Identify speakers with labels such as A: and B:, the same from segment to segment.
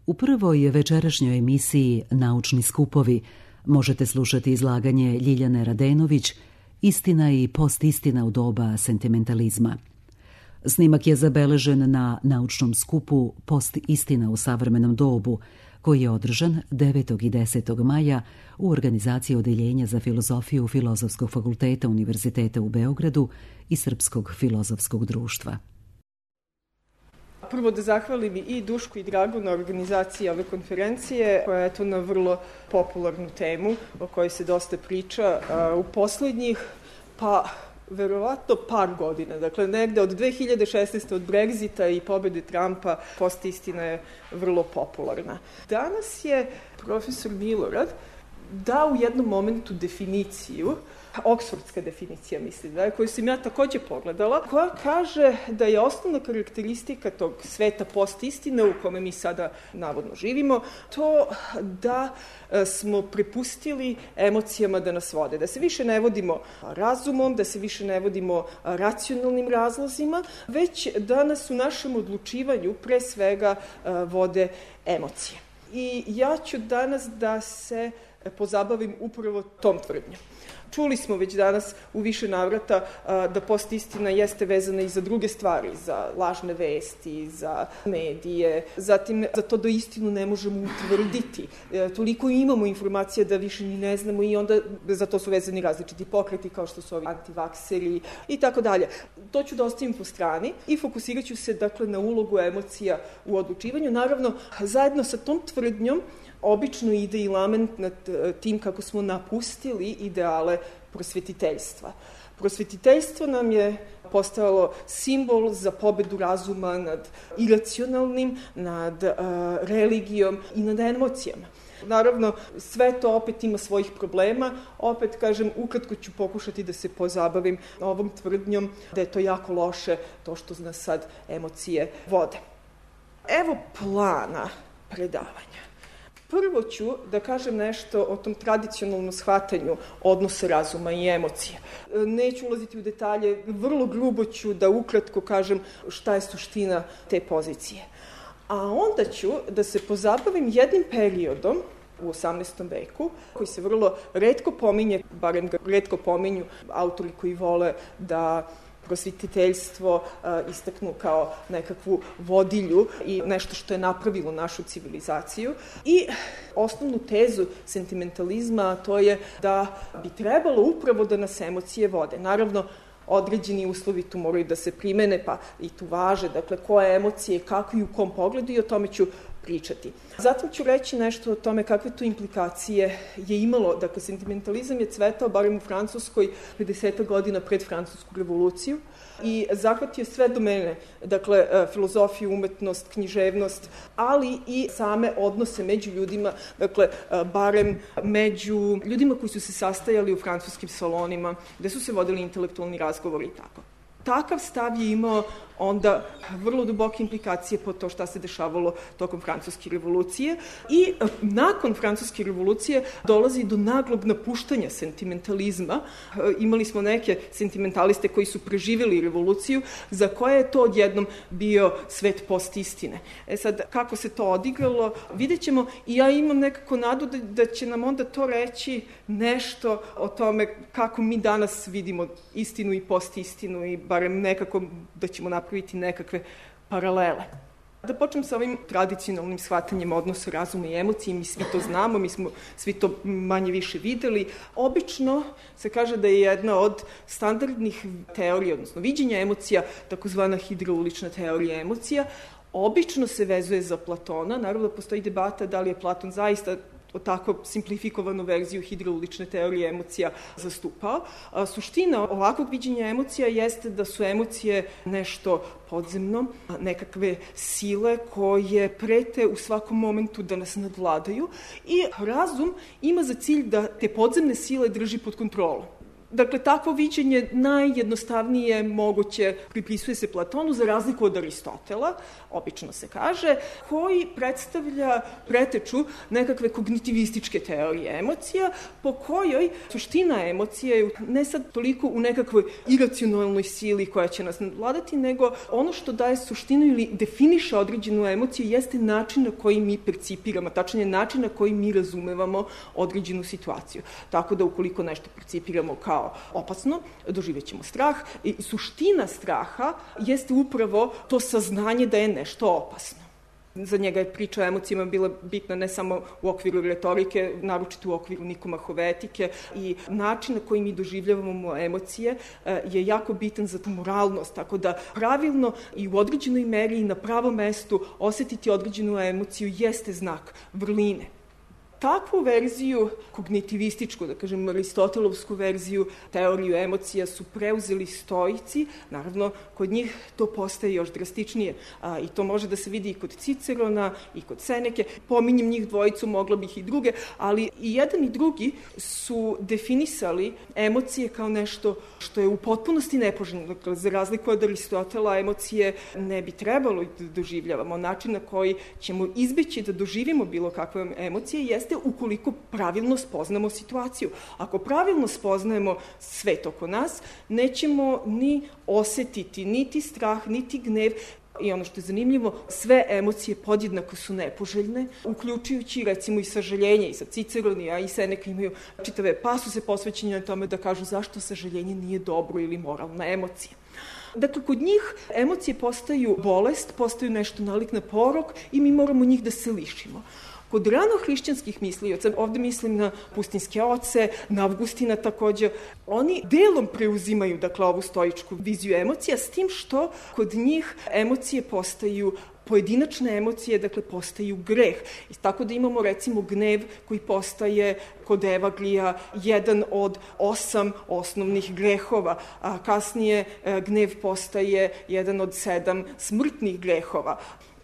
A: U prvoj večerašnjoj emisiji Naučni skupovi možete slušati izlaganje Ljiljane Radenović Istina i postistina u doba sentimentalizma. Snimak je zabeležen na naučnom skupu Postistina u savremenom dobu, koji je održan 9. i 10. maja u organizaciji Odeljenja za filozofiju Filozofskog fakulteta Univerziteta u Beogradu i Srpskog filozofskog društva.
B: Prvo da zahvalim i Dušku i Dragu na organizaciji ove konferencije, koja je to na vrlo popularnu temu o kojoj se dosta priča u poslednjih, verovatno par godina. Dakle, negde od 2016. od Brexita i pobede Trumpa postistina je vrlo popularna. Danas je profesor Milorad dao u jednom momentu definiciju, oksfordska definicija mislim, koju sam ja takođe pogledala, koja kaže da je osnovna karakteristika tog sveta postistine u kome mi sada navodno živimo, to da smo prepustili emocijama da nas vode, da se više ne vodimo razumom, da se više ne vodimo racionalnim razlozima, već da nas u našem odlučivanju pre svega vode emocije. I ja ću danas da se pozabavim upravo tom tvrdnjom. Čuli smo već danas u više navrata da postistina jeste vezana i za druge stvari, za lažne vesti, za medije, zatim za to da istinu ne možemo utvrditi. Toliko imamo informacija da više ni ne znamo i onda za to su vezani različiti pokreti kao što su ovi antivakseri i tako dalje. To ću da ostavim po strani i fokusirat ću se dakle na ulogu emocija u odlučivanju. Naravno, zajedno sa tom tvrdnjom obično ide i lament nad tim kako smo napustili ideale prosvetiteljstva. Prosvetiteljstvo nam je postalo simbol za pobedu razuma nad iracionalnim, nad religijom i nad emocijama. Naravno, sve to opet ima svojih problema. Opet, kažem, ukratko ću pokušati da se pozabavim ovom tvrdnjom da je to jako loše, to što nas sad emocije vode. Evo plana predavanja. Prvo ću da kažem nešto o tom tradicionalnom shvatanju odnosa razuma i emocije. Neću ulaziti u detalje, vrlo grubo ću da ukratko kažem šta je suština te pozicije. A onda ću da se pozabavim jednim periodom u 18. veku, koji se vrlo retko pominje, barem ga retko pominju autori koji vole da prosvetiteljstvo istaknu kao nekakvu vodilju i nešto što je napravilo našu civilizaciju. I osnovnu tezu sentimentalizma, to je da bi trebalo upravo da nas emocije vode. Naravno, određeni uslovi tu moraju da se primene, pa i tu važe, dakle, koje emocije, kako i u kom pogledu, i o tome ću pričati. Zatim ću reći nešto o tome kakve tu implikacije je imalo. Dakle, sentimentalizam je cvetao, barem u Francuskoj, 50 godina pred Francusku revoluciju i zahvatio sve domene, dakle, filozofiju, umetnost, književnost, ali i same odnose među ljudima, dakle, barem među ljudima koji su se sastajali u francuskim salonima, gde su se vodili intelektualni razgovori i tako. Takav stav je imao onda vrlo duboke implikacije po to šta se dešavalo tokom Francuske revolucije i nakon Francuske revolucije dolazi do naglog napuštanja sentimentalizma. Imali smo neke sentimentaliste koji su preživjeli revoluciju, za koje je to odjednom bio svet postistine. Sad, kako se to odigralo, vidjet ćemo i ja imam nekako nadu da će nam onda to reći nešto o tome kako mi danas vidimo istinu i postistinu i barem nekako da ćemo napraviti nekakve paralele. Da počnem sa ovim tradicionalnim shvatanjem odnosa razuma i emocije, mi svi to znamo, mi smo svi to manje više videli. Obično se kaže da je jedna od standardnih teorija, odnosno viđenja emocija, takozvana hidraulična teorija emocija, obično se vezuje za Platona. Naravno da postoji debata da li je Platon zaista o tako simplifikovanu verziju hidraulične teorije emocija zastupao. Suština ovakvog viđenja emocija jeste da su emocije nešto podzemno, nekakve sile koje prete u svakom momentu da nas nadvladaju i razum ima za cilj da te podzemne sile drži pod kontrolom. Dakle, takvo viđenje najjednostavnije moguće pripisuje se Platonu, za razliku od Aristotela, obično se kaže, koji predstavlja preteču nekakve kognitivističke teorije emocija, po kojoj suština emocija je ne sad toliko u nekakvoj iracionalnoj sili koja će nas nadvladati, nego ono što daje suštinu ili definiše određenu emociju jeste način na koji mi percipiramo, tačnije način na koji mi razumevamo određenu situaciju. Tako da ukoliko nešto percipiramo kao opasno, doživećemo strah i suština straha jeste upravo to saznanje da je nešto opasno. Za njega je priča o emocijama bila bitna ne samo u okviru retorike, naročito u okviru nikomahovetike i način na koji mi doživljavamo emocije je jako bitan za tu moralnost, tako da pravilno i u određenoj meri i na pravom mestu osetiti određenu emociju jeste znak vrline. Takvu verziju, kognitivističku, da kažem, aristotelovsku verziju, teoriju emocija su preuzeli stoici. Naravno, kod njih to postaje još drastičnije. I to može da se vidi i kod Cicerona i kod Seneke. Pominjem njih dvojicu, mogla bih i druge, ali i jedan i drugi su definisali emocije kao nešto što je u potpunosti nepoželjno. Dakle, za razliku od Aristotela, emocije ne bi trebalo da doživljavamo. Način na koji ćemo izbeći da doživimo bilo kakve emocije jeste ukoliko pravilno spoznamo situaciju. Ako pravilno spoznajemo svet oko nas, nećemo ni osetiti niti strah, niti gnev. I ono što je zanimljivo, sve emocije podjednako su nepoželjne, uključujući recimo i sažaljenje. I sa Ciceronija i Seneka imaju čitave pasuse posvećene na tome da kažu zašto sažaljenje nije dobro ili moralna emocija. Dakle, kod njih emocije postaju bolest, postaju nešto nalik na porok i mi moramo njih da se lišimo. Kod ranohrišćanskih mislioca, ovde mislim na pustinske oce, na Avgustina takođe, oni delom preuzimaju, dakle, ovu stoičku viziju emocija, s tim što kod njih emocije postaju pojedinačne emocije, dakle, postaju greh. I tako da imamo, recimo, gnev koji postaje kod Evaglija jedan od 8 osnovnih grehova, a kasnije gnev postaje jedan od 7 smrtnih grehova.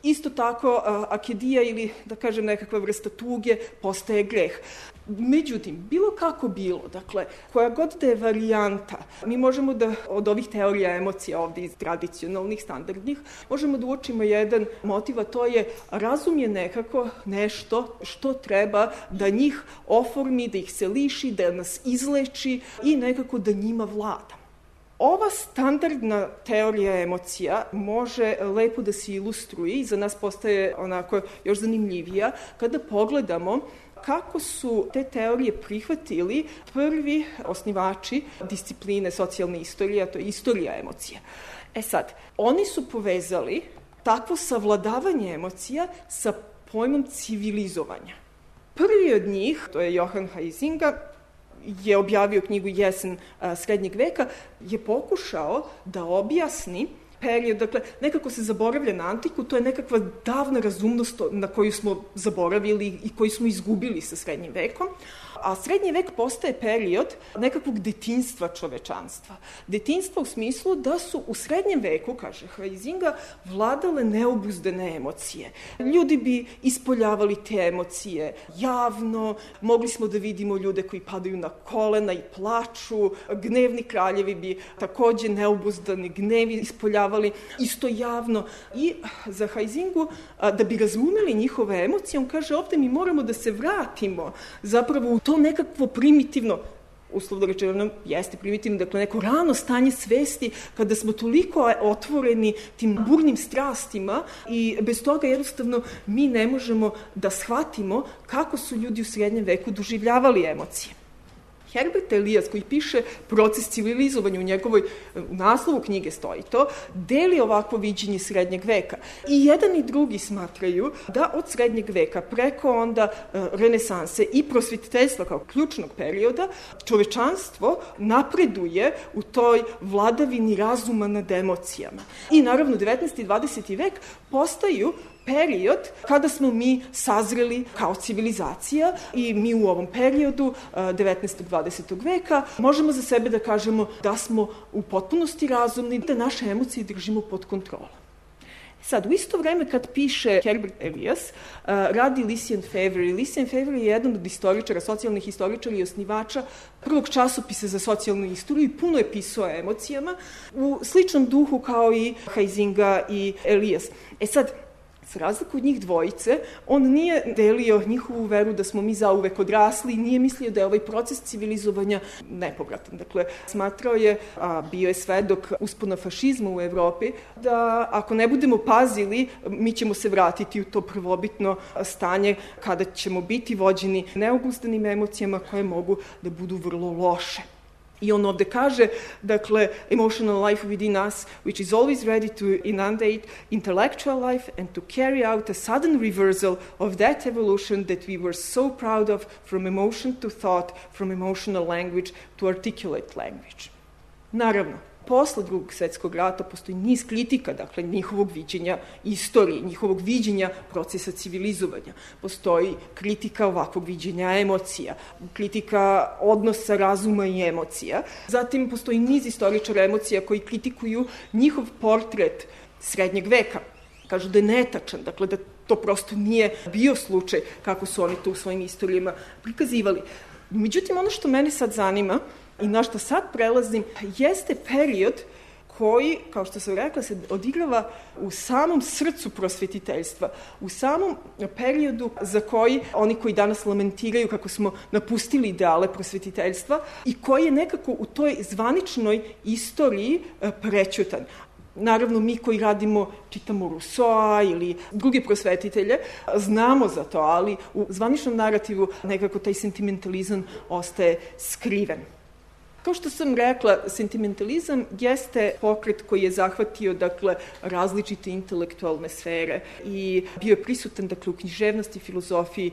B: Isto tako, akedija ili, da kažem, nekakva vrsta tuge postaje greh. Međutim, bilo kako bilo, dakle, koja god da je varijanta, mi možemo da od ovih teorija emocija ovde iz tradicionalnih, standardnih, možemo da uočimo jedan motiv, a to je razum je nekako nešto što treba da njih oformi, da ih se liši, da nas izleči i nekako da njima vlada. Ova standardna teorija emocija može lepo da se ilustruje i za nas postaje onako još zanimljivija kada pogledamo kako su te teorije prihvatili prvi osnivači discipline socijalne istorije, a to je istorija emocija. Sad, oni su povezali takvo savladavanje emocija sa pojmom civilizovanja. Prvi od njih, to je Johann Huizinga, je objavio knjigu Jesen srednjeg veka, je pokušao da objasni period, dakle, nekako se zaboravlja na antiku, to je nekakva davna razumnost na koju smo zaboravili i koju smo izgubili sa srednjim vekom, a srednji vek postaje period nekakvog detinjstva čovečanstva. Detinjstva u smislu da su u srednjem veku, kaže Huizinga, vladale neobuzdane emocije. Ljudi bi ispoljavali te emocije javno, mogli smo da vidimo ljude koji padaju na kolena i plaču, gnevni kraljevi bi takođe neobuzdani gnevi ispoljavali isto javno. I za Huizingu, da bi razumeli njihove emocije, on kaže ovde mi moramo da se vratimo zapravo u to nekakvo primitivno, uslovno rečeno jeste primitivno, dakle neko rano stanje svesti kada smo toliko otvoreni tim burnim strastima i bez toga jednostavno mi ne možemo da shvatimo kako su ljudi u srednjem veku doživljavali emocije. Herbert Elias, koji piše Proces civilizovanja u njegovoj naslovu knjige stoji to, deli ovakvo viđenje srednjeg veka. I jedan i drugi smatraju da od srednjeg veka preko onda renesanse i prosvetiteljstva kao ključnog perioda čovečanstvo napreduje u toj vladavini razuma nad emocijama. I naravno 19. i 20. vek postaju period kada smo mi sazreli kao civilizacija i mi u ovom periodu 19. 20. veka možemo za sebe da kažemo da smo u potpunosti razumni, da naše emocije držimo pod kontrolom. Sad, u isto vreme kad piše Herbert Elias, radi Lycian Favre. Lycian Favre je jedan od istoričara, socijalnih historičara i osnivača prvog časopisa za socijalnu istoriju i puno je pisao o emocijama u sličnom duhu kao i Huizinga i Elias. Sad, za razliku od njih dvojice, on nije delio njihovu veru da smo mi zauvek odrasli i nije mislio da je ovaj proces civilizovanja nepovratan. Dakle, smatrao je, a bio je svedok uspona fašizma u Evropi, da ako ne budemo pazili, mi ćemo se vratiti u to prvobitno stanje kada ćemo biti vođeni neobuzdanim emocijama koje mogu da budu vrlo loše. I on ovde kaže, dakle, emotional life within us, which is always ready to inundate intellectual life and to carry out a sudden reversal of that evolution that we were so proud of, from emotion to thought, from emotional language to articulate language. Naravno, posle Drugog svetskog rata postoji niz kritika, dakle, njihovog viđenja istorije, njihovog viđenja procesa civilizovanja. Postoji kritika ovakvog viđenja emocija, kritika odnosa razuma i emocija. Zatim postoji niz istoričara emocija koji kritikuju njihov portret srednjeg veka. Kažu da je netačan, dakle, da to prosto nije bio slučaj kako su oni to u svojim istorijama prikazivali. Međutim, ono što mene sad zanima i na što sad prelazim, jeste period koji, kao što sam rekla, se odigrava u samom srcu prosvetiteljstva, u samom periodu za koji oni koji danas lamentiraju kako smo napustili ideale prosvetiteljstva i koji je nekako u toj zvaničnoj istoriji prećutan. Naravno, mi koji radimo, čitamo Rousseau ili druge prosvetitelje, znamo za to, ali u zvaničnom narativu nekako taj sentimentalizam ostaje skriven. Kao što sam rekla, sentimentalizam jeste pokret koji je zahvatio, dakle, različite intelektualne sfere i bio je prisutan, dakle, u književnosti, filozofiji,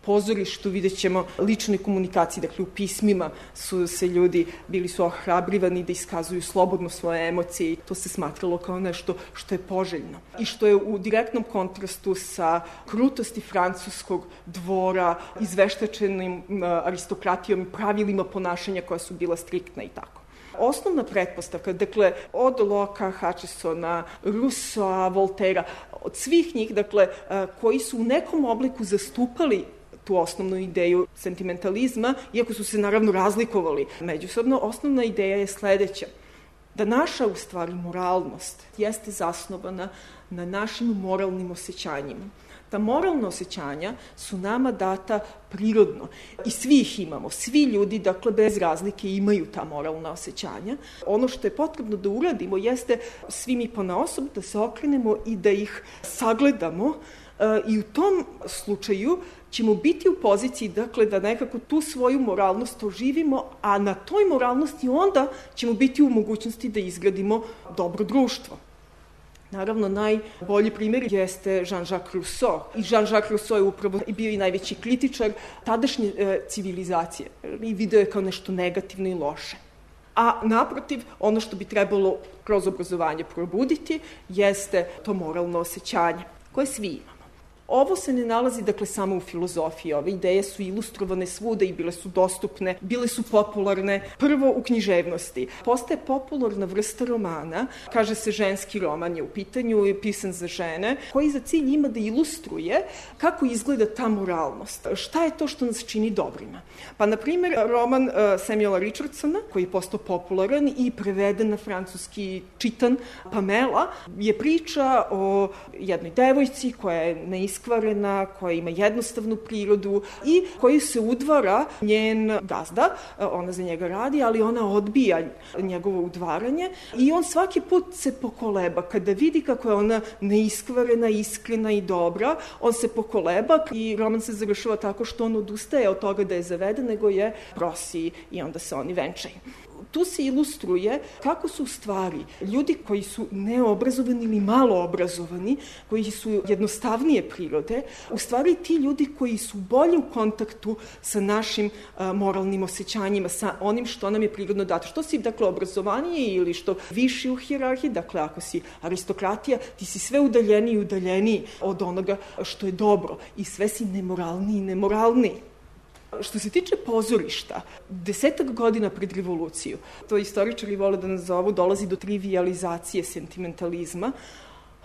B: pozorištu, vidjet ćemo ličnoj komunikaciji, dakle, u pismima su se ljudi, bili su ohrabrivani da iskazuju slobodno svoje emocije i to se smatralo kao nešto što je poželjno i što je u direktnom kontrastu sa krutosti francuskog dvora, izveštačenim aristokratijom i pravilima ponašanja koja su bila striktna i tako. Osnovna pretpostavka, dakle, od Locke, Hutchesona, Rousseau, Voltera, od svih njih, dakle, koji su u nekom obliku zastupali tu osnovnu ideju sentimentalizma, iako su se naravno razlikovali međusobno, osnovna ideja je sledeća. Da naša, u stvari, moralnost jeste zasnovana na našim moralnim osjećanjima. Ta moralna osjećanja su nama data prirodno i svi ih imamo, svi ljudi, dakle, bez razlike imaju ta moralna osjećanja. Ono što je potrebno da uradimo jeste svi mi ponaosob da se okrenemo i da ih sagledamo i u tom slučaju ćemo biti u poziciji, dakle, da nekako tu svoju moralnost oživimo, a na toj moralnosti onda ćemo biti u mogućnosti da izgradimo dobro društvo. Naravno, najbolji primjer jeste Jean-Jacques Rousseau. I Jean-Jacques Rousseau je upravo bio i najveći kritičar tadašnje civilizacije i video je kao nešto negativno i loše. A naprotiv, ono što bi trebalo kroz obrazovanje probuditi jeste to moralno osjećanje koje svi imamo. Ovo se ne nalazi, dakle, samo u filozofiji. Ove ideje su ilustrovane svuda i bile su dostupne, bile su popularne. Prvo u književnosti. Postaje popularna vrsta romana, kaže se ženski roman je u pitanju i pisan za žene, koji za cilj ima da ilustruje kako izgleda ta moralnost. Šta je to što nas čini dobrima? Pa, na primjer, roman Samuela Richardsona, koji je postao popularan i preveden na francuski, čitan, Pamela, je priča o jednoj devojci koja je neiskvarena, koja ima jednostavnu prirodu i koji se udvara njen gazda, ona za njega radi, ali ona odbija njegovo udvaranje i on svaki put se pokoleba. Kada vidi kako je ona neiskvarena, iskrena i dobra, on se pokoleba i roman se završava tako što on odustaje od toga da je zaveden, nego je prosi i onda se oni venčaju. Tu se ilustruje kako su u stvari ljudi koji su neobrazovani ili malo obrazovani, koji su jednostavnije prirode, u stvari ti ljudi koji su bolje u kontaktu sa našim moralnim osjećanjima, sa onim što nam je prirodno dato. Što si, dakle, obrazovanije ili što viši u hijerarhiji, dakle, ako si aristokratija, ti si sve udaljeniji i udaljeniji od onoga što je dobro i sve si nemoralniji i nemoralniji. Što se tiče pozorišta, 10 godina pred revoluciju, to istoričari vole da nazovu, dolazi do trivializacije sentimentalizma,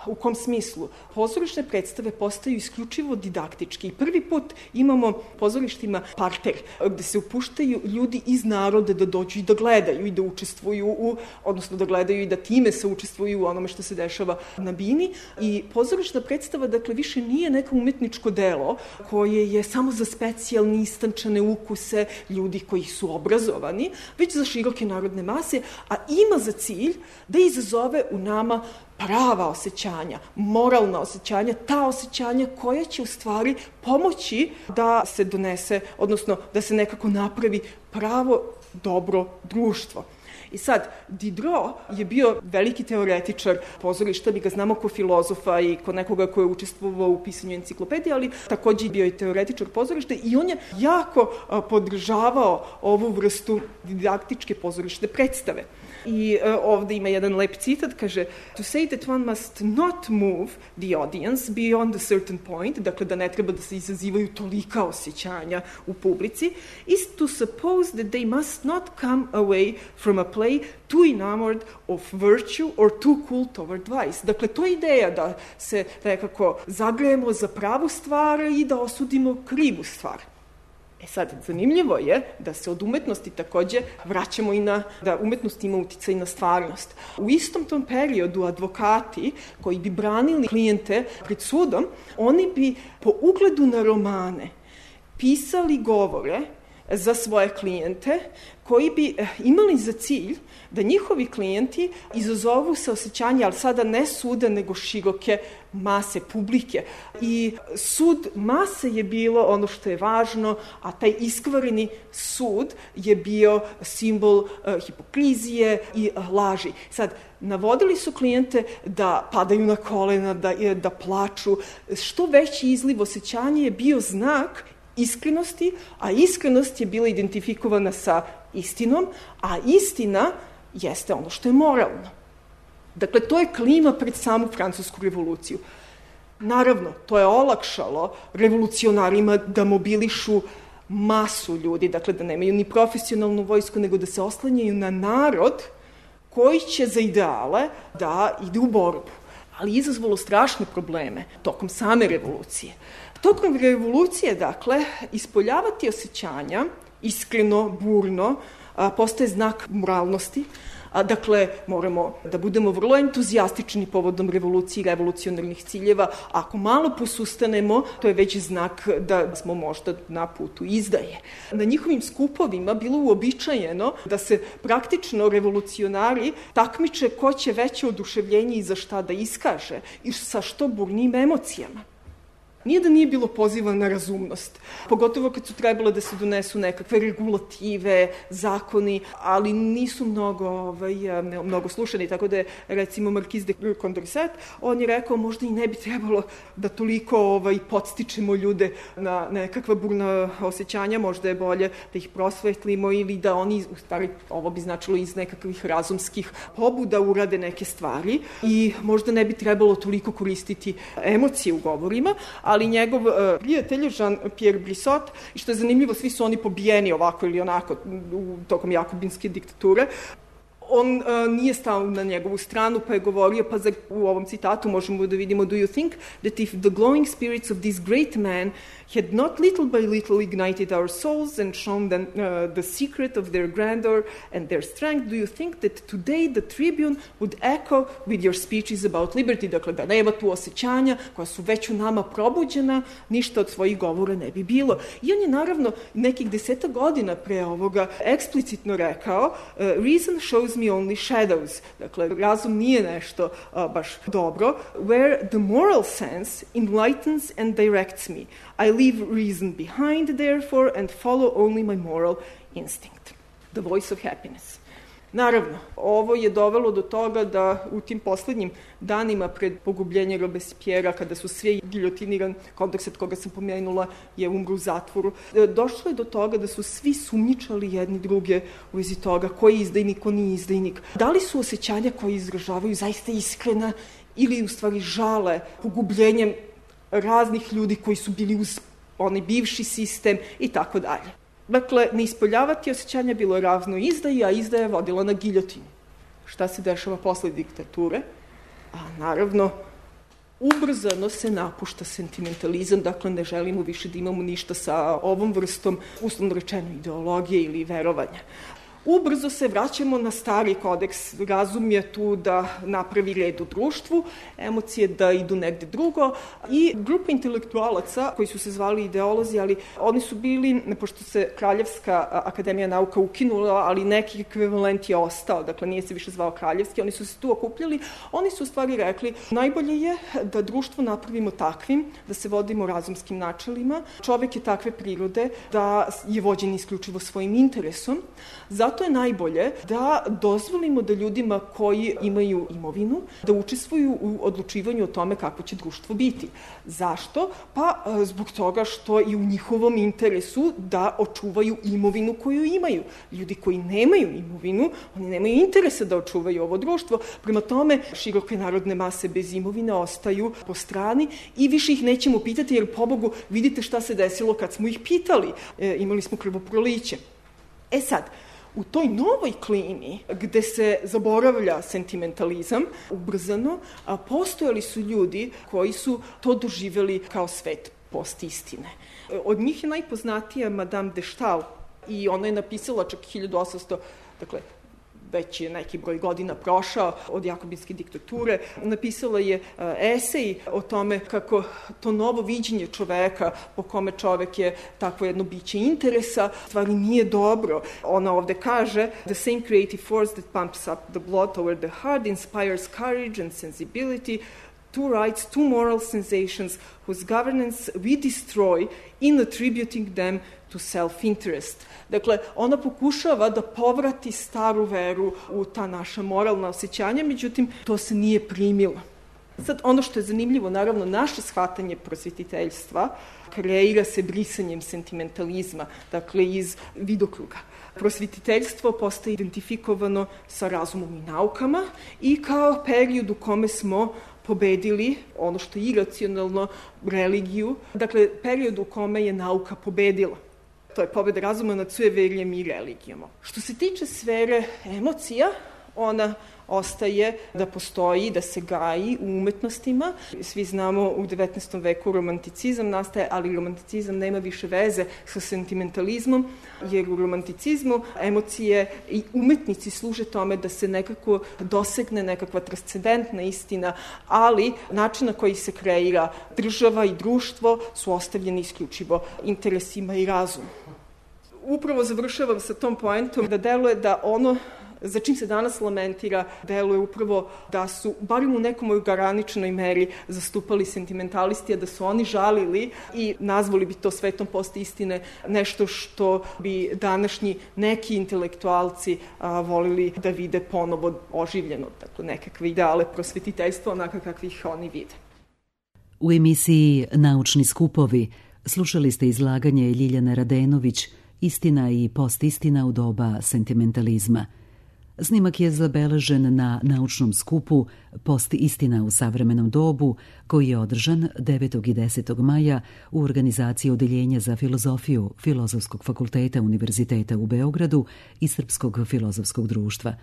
B: U kom smislu? Pozorišne predstave postaju isključivo didaktički. Prvi put imamo pozorištima parter, gde se upuštaju ljudi iz naroda da dođu i da gledaju i da učestvuju odnosno da gledaju i da time se učestvuju u onome što se dešava na bini. I pozorišna predstava, dakle, više nije neko umetničko delo koje je samo za specijalni istančane ukuse ljudi koji su obrazovani, već za široke narodne mase, a ima za cilj da izazove u nama prava osjećanja, moralna osjećanja, ta osjećanja koja će u stvari pomoći da se donese, odnosno da se nekako napravi pravo dobro društvo. I sad, Diderot je bio veliki teoretičar pozorišta, mi ga znamo kao filozofa i kao nekoga ko je učestvovao u pisanju enciklopedije, ali takođe bio i teoretičar pozorišta i on je jako podržavao ovu vrstu didaktičke pozorišne predstave. I ovde ima jedan lep citat, kaže to say that one must not move the audience beyond a certain point, dakle da ne treba da se izazivaju tolika osjećanja u publici, is to suppose that they must not come away from a play too enamored of virtue or too cool toward vice. Dakle, to je ideja da se nekako zagrejemo za pravu stvar i da osudimo krivu stvar. Sad, zanimljivo je da se od umetnosti takođe vraćamo i da umetnost ima uticaj na stvarnost. U istom tom periodu advokati koji bi branili klijente pred sudom, oni bi po ugledu na romane pisali govore za svoje klijente koji bi imali za cilj da njihovi klijenti izazovu saosećanje, ali sada ne suda, nego široke mase, publike. I sud mase je bilo ono što je važno, a taj iskvareni sud je bio simbol hipokrizije i laži. Sad, navodili su klijente da padaju na kolena, da plaču. Što veći izliv osjećanja je bio znak iskrenosti, a iskrenost je bila identifikovana sa istinom, a istina jeste ono što je moralno. Dakle, to je klima pred samu francusku revoluciju. Naravno, to je olakšalo revolucionarima da mobilišu masu ljudi, dakle da nemaju ni profesionalnu vojsku, nego da se oslanjaju na narod koji će za ideale da ide u borbu. Ali izazvalo strašne probleme tokom same revolucije. Tokom revolucije, dakle, ispoljavati osjećanja, iskreno, burno, postaje znak moralnosti. Dakle, moramo da budemo vrlo entuzijastični povodom revolucije i revolucionarnih ciljeva. Ako malo posustanemo, to je već znak da smo možda na putu izdaje. Na njihovim skupovima bilo uobičajeno da se praktično revolucionari takmiče ko će veće oduševljenje i za šta da iskaže i sa što burnijim emocijama. Nije da nije bilo poziva na razumnost, pogotovo kad su trebalo da se donesu nekakve regulative, zakoni, ali nisu mnogo slušani, tako da je, recimo, Marquis de Condorcet, on je rekao možda i ne bi trebalo da toliko podstičemo ljude na nekakva burna osjećanja, možda je bolje da ih prosvetlimo ili da oni, u stvari, ovo bi značilo iz nekakvih razumskih pobuda urade neke stvari i možda ne bi trebalo toliko koristiti emocije u govorima, ali njegov prijatelj Jean-Pierre Brissot, i što je zanimljivo, svi su oni pobijeni ovako ili onako tokom jakobinske diktature, on nije stao na njegovu stranu, pa je govorio, pa u ovom citatu možemo da vidimo, do you think that if the glowing spirits of this great man had not little by little ignited our souls and shown them the secret of their grandeur and their strength, do you think that today the Tribune would echo with your speeches about liberty? Dakle, da nema tu osjećanja koja su već u nama probuđena, ništa od svojih govora ne bi bilo. I on je naravno nekih 10 godina pre ovoga eksplicitno rekao, reason shows me only shadows. Dakle, razum nije nešto baš dobro. Where the moral sense enlightens and directs me. I leave reason behind, therefore, and follow only my moral instinct. The voice of happiness. Naravno, ovo je dovelo do toga da u tim poslednjim danima pred pogubljenje Robespierra, kada su svi giljotiniran, Condorcet koga sam pomenula je umro u zatvoru, došlo je do toga da su svi sumnjičali jedni druge u vezi toga ko je izdajnik, ko nije izdajnik. Da li su osjećanja koje izražavaju zaista iskrena ili u stvari žale pogubljenjem raznih ljudi koji su bili uz onaj bivši sistem i tako dalje. Dakle, ne ispoljavati osjećanja bilo je ravno izdaji, a izdaja je vodila na giljotinu. Šta se dešava posle diktature? A naravno, Ubrzano se napušta sentimentalizam, dakle ne želimo više da imamo ništa sa ovom vrstom, uslovno rečeno, ideologije ili verovanja. Ubrzo se vraćamo na stari kodeks. Razum je tu da napravi red u društvu, emocije da idu negde drugo i grupa intelektualaca koji su se zvali ideolozi, ali oni su bili, pošto se Kraljevska akademija nauka ukinula, ali neki ekvivalent je ostao, dakle nije se više zvao Kraljevski, oni su se tu okupljali, oni su u stvari rekli najbolje je da društvo napravimo takvim, da se vodimo razumskim načelima, čovek je takve prirode da je vođen isključivo svojim interesom, zato je najbolje da dozvolimo da ljudima koji imaju imovinu da učestvuju u odlučivanju o tome kako će društvo biti. Zašto? Pa zbog toga što je u njihovom interesu da očuvaju imovinu koju imaju. Ljudi koji nemaju imovinu, oni nemaju interesa da očuvaju ovo društvo. Prema tome, široke narodne mase bez imovine ostaju po strani i više ih nećemo pitati jer, pobogu, vidite šta se desilo kad smo ih pitali. Imali smo krvoproliće. Sad, u toj novoj klimi, gde se zaboravlja sentimentalizam, ubrzano, postojali su ljudi koji su to doživjeli kao svet postistine. Od njih je najpoznatija Madame de Stael i ona je napisala čak 1800, dakle, već je neki broj godina prošao od jakobinske diktature, napisala je esej o tome kako to novo viđenje čoveka, po kome čovek je takvo jedno biće interesa, stvari nije dobro. Ona ovde kaže, the same creative force that pumps up the blood toward the heart inspires courage and sensibility, two rights, two moral sensations whose governance we destroy in attributing them to self-interest. Dakle, ona pokušava da povrati staru veru u ta naša moralna osjećanja, međutim, to se nije primilo. Sad, ono što je zanimljivo, naravno, naše shvatanje prosvetiteljstva kreira se brisanjem sentimentalizma, dakle, iz vidokruga. Prosvetiteljstvo postaje identifikovano sa razumom i naukama i kao period u kome smo pobedili ono što je iracionalno, religiju, dakle, period u kome je nauka pobedila. To je pobeda razuma nad sujeverjem i religijom. Što se tiče sfere emocija, ona ostaje da postoji, da se gaji u umetnostima. Svi znamo u 19. veku romanticizam nastaje, ali romanticizam nema više veze sa sentimentalizmom, jer u romanticizmu emocije i umetnici služe tome da se nekako dosegne nekakva transcendentna istina, ali način na koji se kreira država i društvo su ostavljeni isključivo interesima i razumu. Upravo završavam sa tom poentom da deluje da ono za čim se danas lamentira, deluje upravo da su, barim u nekom ograničenoj meri, zastupali sentimentalisti, a da su oni žalili i nazvali bi to svetom postistine, nešto što bi današnji neki intelektualci volili da vide ponovo oživljeno, dakle nekakve ideale prosvetiteljstva, onaka kakvih oni vide.
A: U emisiji Naučni skupovi slušali ste izlaganje Ljiljane Radenović Istina i postistina u doba sentimentalizma. Snimak je zabeležen na naučnom skupu Postistina u savremenom dobu, koji je održan 9. i 10. maja u organizaciji Odeljenja za filozofiju Filozofskog fakulteta Univerziteta u Beogradu i Srpskog filozofskog društva.